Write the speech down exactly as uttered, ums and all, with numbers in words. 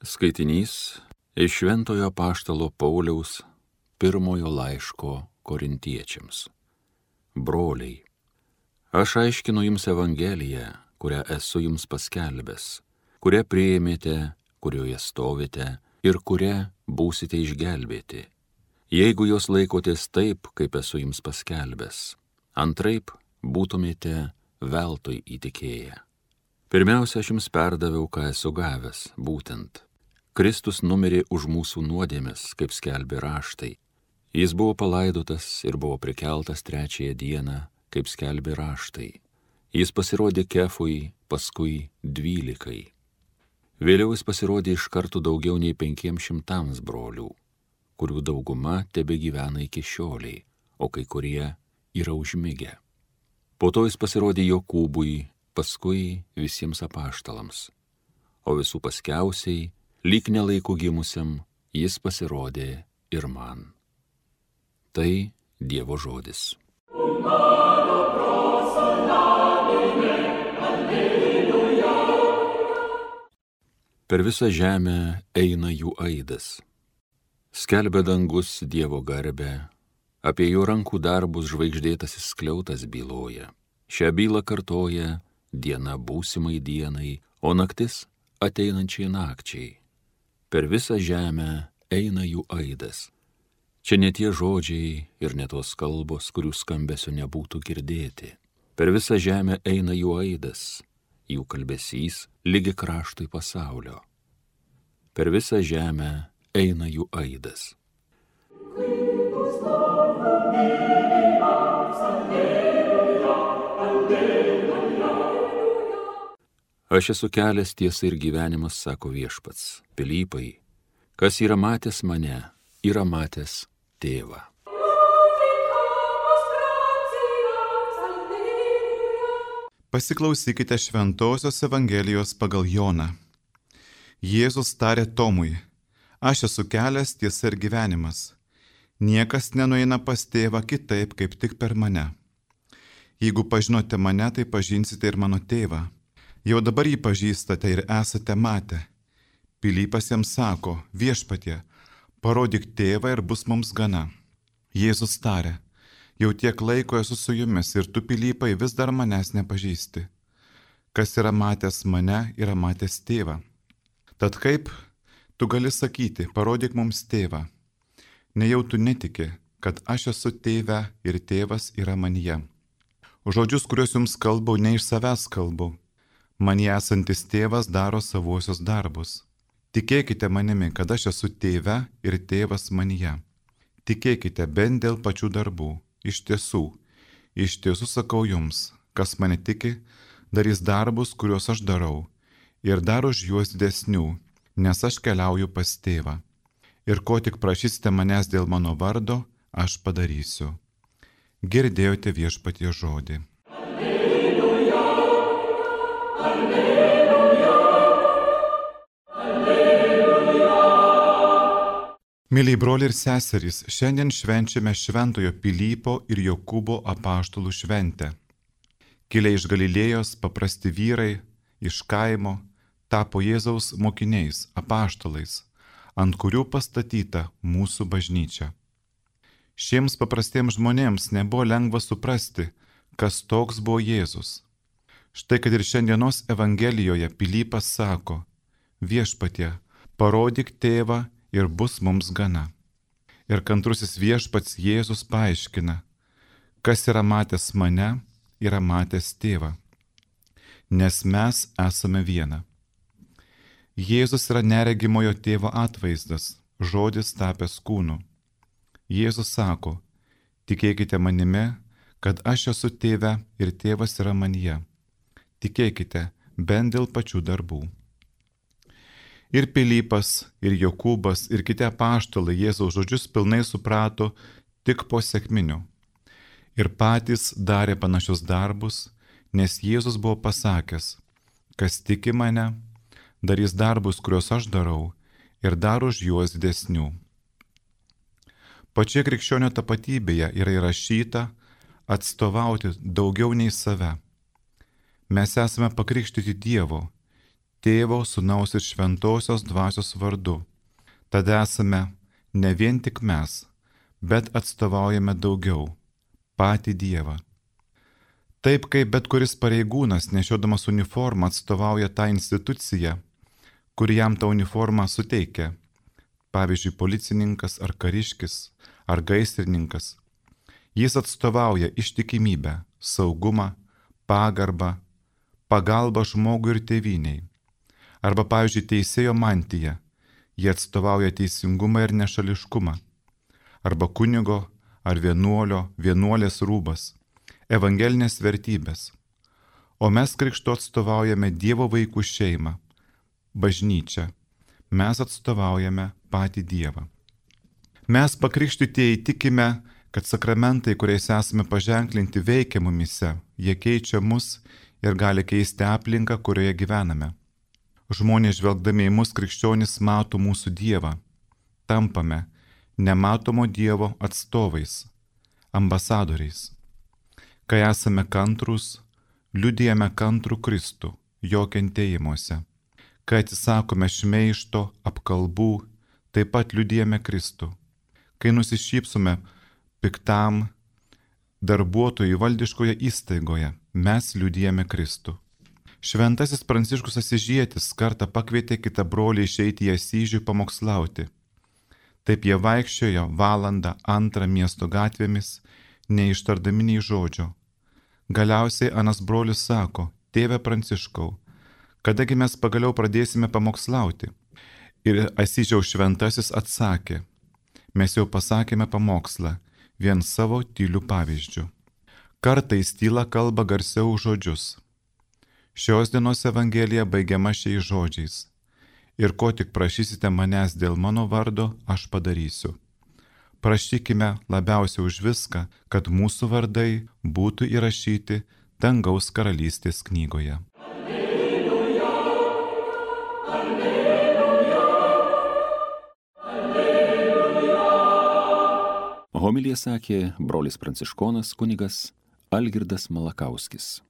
Skaitinys iš Šventojo Apaštalo Pauliaus pirmojo laiško Korintiečiams. Broliai, aš aiškinu jums Evangeliją, kurią esu jums paskelbęs, kurią priėmėte, kurioje stovite ir kurią būsite išgelbėti, jeigu jos laikotės taip, kaip esu jums paskelbęs. Antraip būtumėte veltui įtikėję. Pirmiausia, aš jums perdaviau, ką esu gavęs, būtent. Kristus numirė už mūsų nuodėmes, kaip skelbė raštai. Jis buvo palaidotas ir buvo prikeltas trečiąją dieną, kaip skelbė raštai. Jis pasirodė Kefui, paskui dvylikai. Vėliau jis pasirodė iš karto daugiau nei penkiems šimtams brolių, kurių dauguma tebegyvena iki šioliai, o kai kurie yra užmigę. Po to jis pasirodė Jokūbui, paskui visiems apaštalams, o visų paskiausiai, lyg nelaikų gimusiam, jis pasirodė ir man. Tai Dievo žodis. Per visą žemę eina jų aidas. Skelbia dangus Dievo garbę, apie jo rankų darbus žvaigždėtasis skliautas byloja. Šią bylą kartoja diena būsimai dienai, o naktis ateinančiai nakčiai. Per visą žemę eina jų aidas. Čia ne tie žodžiai ir ne tos kalbos, kurių skambesio nebūtų girdėti. Per visą žemę eina jų aidas, jų kalbesys lygi kraštui pasaulio. Per visą žemę eina jų aidas. Aš esu kelias, tiesa ir gyvenimas, sako Viešpats. Pilypai, kas yra matęs mane, yra matęs Tėvą. Pasiklausykite Šventosios Evangelijos pagal Joną. Jėzus tarė Tomui: aš esu kelias, tiesa ir gyvenimas. Niekas nenueina pas Tėvą kitaip, kaip tik per mane. Jeigu pažinote mane, tai pažinsite ir mano Tėvą. Jau dabar jį pažįstate ir esate matę. Pilypas jam sako: Viešpatie, parodyk Tėvą ir bus mums gana. Jėzus tarė: jau tiek laiko esu su jumis ir tu, Pilypai, vis dar manęs nepažįsti. Kas yra matęs mane, yra matęs Tėvą. Tad kaip tu gali sakyti: parodyk mums Tėvą? Nejau tu netiki, kad aš esu Tėve ir Tėvas yra manyje. Žodžius, kuriuos jums kalbau, ne iš savęs kalbu. Manyje esantis Tėvas daro savuosius darbus. Tikėkite manimi, kad aš esu Tėve ir Tėvas manyje. Tikėkite bent dėl pačių darbų. Iš tiesų, iš tiesų sakau jums, kas mane tiki, darys darbus, kuriuos aš darau, ir dar už juos didesnių, nes aš keliauju pas Tėvą. Ir ko tik prašysite manęs dėl mano vardo, aš padarysiu. Girdėjote Viešpaties žodį. Alleluja, alleluja, alleluja. Myliai broliai ir seserys, šiandien švenčiame Šventojo Pilypo ir Jokūbo apaštalų šventę. Kilę iš Galilėjos paprasti vyrai iš kaimo tapo Jėzaus mokiniais, apaštalais, ant kurių pastatyta mūsų bažnyčia. Šiems paprastiems žmonėms nebuvo lengva suprasti, kas toks buvo Jėzus. Štai kad ir šiandienos Evangelijoje Pilypas sako: Viešpatie, parodyk Tėvą ir bus mums gana. Ir kantrusis Viešpats Jėzus paaiškina: kas yra matęs mane, yra matęs Tėvą, nes mes esame viena. Jėzus yra neregimojo Tėvo atvaizdas, žodis tapęs kūnu. Jėzus sako: tikėkite manimi, kad aš esu Tėve ir Tėvas yra manyje. Tikėkite bent dėl pačių darbų. Ir Pilypas, ir Jokūbas, ir kiti apaštalai Jėzaus žodžius pilnai suprato tik po sekminių. Ir patys darė panašius darbus, nes Jėzus buvo pasakęs: kas tiki mane, darys darbus, kuriuos aš darau, ir dar už juos didesnių. Pačioje krikščionio tapatybėje yra įrašyta atstovauti daugiau nei save. Mes esame pakrikštyti Dievo, Tėvo, Sūnaus ir Šventosios Dvasios vardu. Tad esame ne vien tik mes, bet atstovaujame daugiau - patį Dievą. Taip kaip bet kuris pareigūnas, nešiodamas uniformą, atstovauja tą instituciją, kuri jam tą uniformą suteikia, pavyzdžiui, policininkas ar kariškis ar gaisrininkas, jis atstovauja ištikimybę, saugumą, pagarbą, pagalbą žmogui ir tėvyniai. Arba, pavyzdžiui, teisėjo mantija, jie atstovauja teisingumą ir nešališkumą. Arba kunigo ar vienuolio, vienuolės rūbas, evangelinės vertybės. O mes krikštu atstovaujame Dievo vaikų šeimą, bažnyčią. Mes atstovaujame patį Dievą. Mes pakrikštytieji tikime, kad sakramentai, kuriais esame paženklinti, veikia mumise, jie keičia mus ir gali keisti aplinką, kurioje gyvename. Žmonės žvelgdami į mus krikščionys mato mūsų Dievą. Tampame nematomo Dievo atstovais, ambasadoriais. Kai esame kantrūs, liudijame kantrų Kristų, jo kentėjimuose. Kai atsisakome šmeižto, apkalbų, taip pat liudijame Kristų. Kai nusišypsome piktam darbuotojui valdiškoje įstaigoje, mes liudijame Kristų. Šventasis Pranciškus Asyžietis kartą pakvietė kitą brolį išeiti į Asyžių pamokslauti. Taip jie vaikščiojo valandą antrą miesto gatvėmis, neištardami nei žodžio. Galiausiai anas brolis sako: tėve Pranciškau, kadagi mes pagaliau pradėsime pamokslauti? Ir Asyžiaus šventasis atsakė: mes jau pasakėme pamokslą, vien savo tylių pavyzdžių. Kartais tyla kalba garsiau už žodžius. Šios dienos evangelija baigiama šiais žodžiais: ir ko tik prašysite manęs dėl mano vardo, aš padarysiu. Prašykime labiausiai už viską, kad mūsų vardai būtų įrašyti dangaus karalystės knygoje. Alleluja, alleluja, alleluja. Homiliją sakė brolis pranciškonas kunigas Algirdas Malakauskis.